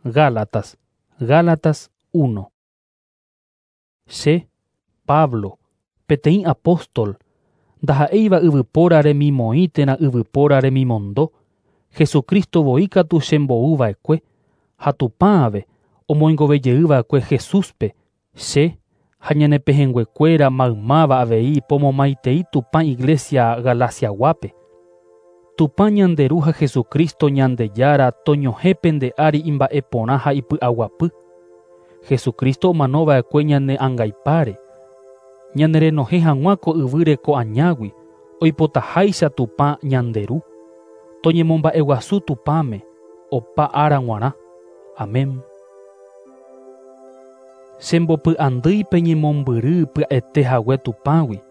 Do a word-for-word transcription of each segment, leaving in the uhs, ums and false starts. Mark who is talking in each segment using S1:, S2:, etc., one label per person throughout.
S1: Gálatas, Gálatas uno. Che, Pablo, peteĩ apóstol, ndaha'éiva yvypóra remimoĩ térã yvypóra remimondo, Jesucristo voi katu chembouva'ekue, ha Tupãve omoingovejeyva'ekue Jesúspe, che ha ñane pehẽnguekuéra maymáva avei pomomaitei Tupã Iglesia Galaciaguápe. Tupã ñande Ru ha Jesucristo Ñandejára toñohẽ pende ári imba'eporã ha ipy'aguapy. Jesucristo omanova'ekue ñane angaipáre, ñane renohẽ hag̃ua ko yvýre ko añágui, oipotaháicha Tupã ñande Ru. Toñemomba'eguasu Tupãme, opa ára g̃uarã. Amén. Chembopy'andýi peñemombyry pya'ete hague Tupãgui,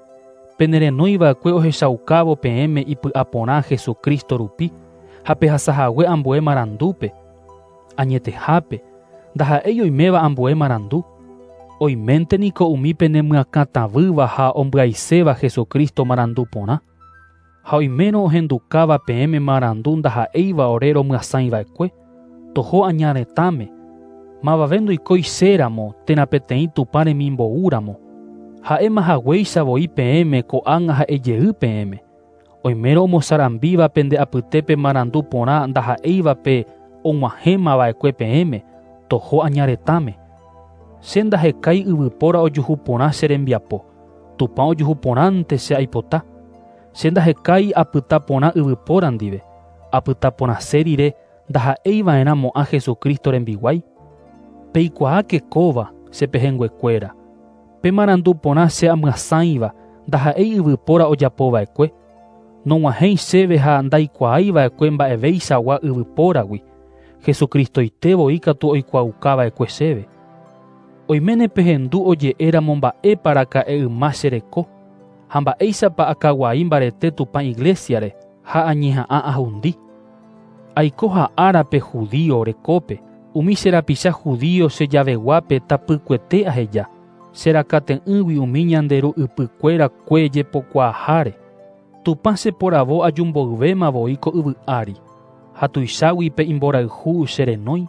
S1: penerenóiva'ekue ohechaukávo peẽme ipy'aporã Jesucristo rupi ha pehasahague ambue marandúpe. Añetehápe, ndaha'éi oiméva ambue marandu. Oiménte niko umi penemyakãtavýva ha ombyaiséva Jesucristo marandu porã. Ha oimérõ ohendukáva peẽme marandu ndaha'éiva ore romyasãiva'ekue, toho aña retãme, mavave ndoikói chéramo térã peteĩ Tupã remimboúramo. Ha'éma haguéicha voi peẽme ko'ág̃a ha'ejey peẽme. Oimérõ omosarambíva pende apytépe marandu porã ndaha'éiva pe og̃uahẽmava'ekue peẽme, toho aña retãme. Che ndahekái yvypóra ojuhu porã che rembiapo, Tupã ojuhu porãnte che aipota. Che ndahekái apyta porã yvypóra ndive, apyta porãse rire ndaha'eiva'erãmo'ã Jesucristo rembiguái. Peikuaáke kóva che pehẽnguekuéra. Pe marandu porã che amyasãiva ndaha'éi yvypóra ojapova'ekue. Nog̃uahẽi chéve ha ndaikuaáiva'ekue mba'evéichagua yvypóragui, Jesucristoite voi katu oikuaaukava'ekue chéve. Oiméne pehendu oje'éramo mba'épa raka'e yma che reko, ha mba'éichapa akaguai mbarete Tupã Iglesiare ha añeha'ã ahundi. Aiko ha'árape judío rekópe, umi che rapicha judío che javeguápe tapykuete aheja, che rakate'ỹgui umi ñande ru ypykuéra kue jepokuaaháre. Tupã cheporavo ajumboyvéma voi ko yvy ári, ha tuichágui pe imborayhu che renói.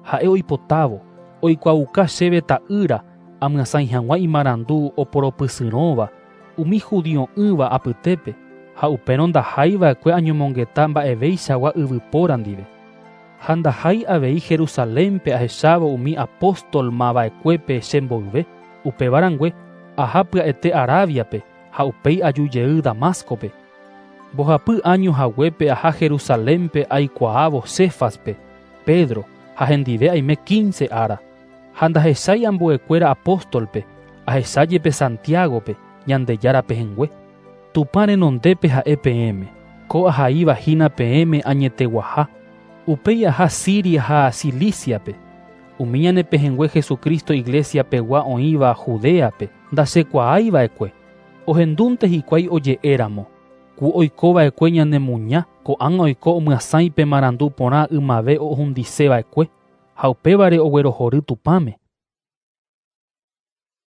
S1: Ha'e oipotávo, oikuaauka chéve ta'ýra amyasãi hag̃ua imarandu oporopysyrõva umi judio'ỹva apytépe, ha upérõ ndaháiva'ekue añomongeta mba'evéichagua yvypóra ndive. Ha ndahái avei Jerusalénpe ahechávo umi apóstolmava'ekuépe chemboyve, upéva rangue aha pya'ete Arabiape ha upéi ajujey Damascope. Mbohapy año haguépe aha Jerusalénpe aikuaávo Cefaspe, Pedro, ha hendive aime quince ára. Ha ndahechái ambuekuéra apóstolpe, ahechájepe Santiagope, Ñandejára pehẽngue. Tupã renondépe ha'e peẽme, ko ahaíva hína peẽme añeteguaha. Upéi aha Siria ha Ciliciape. Umi ñane pehẽngue Jesucristo Iglesia pegua oĩva Judeape, ndachekuaáiva'ekue. Ohendúnte hikuái oje'éramo, ku oikova'ekue ñanemuña, ko'ág̃a oiko omyasãi pe marandu porã ymave ohundiseva'ekue, ha upévare oguerohory Tupãme.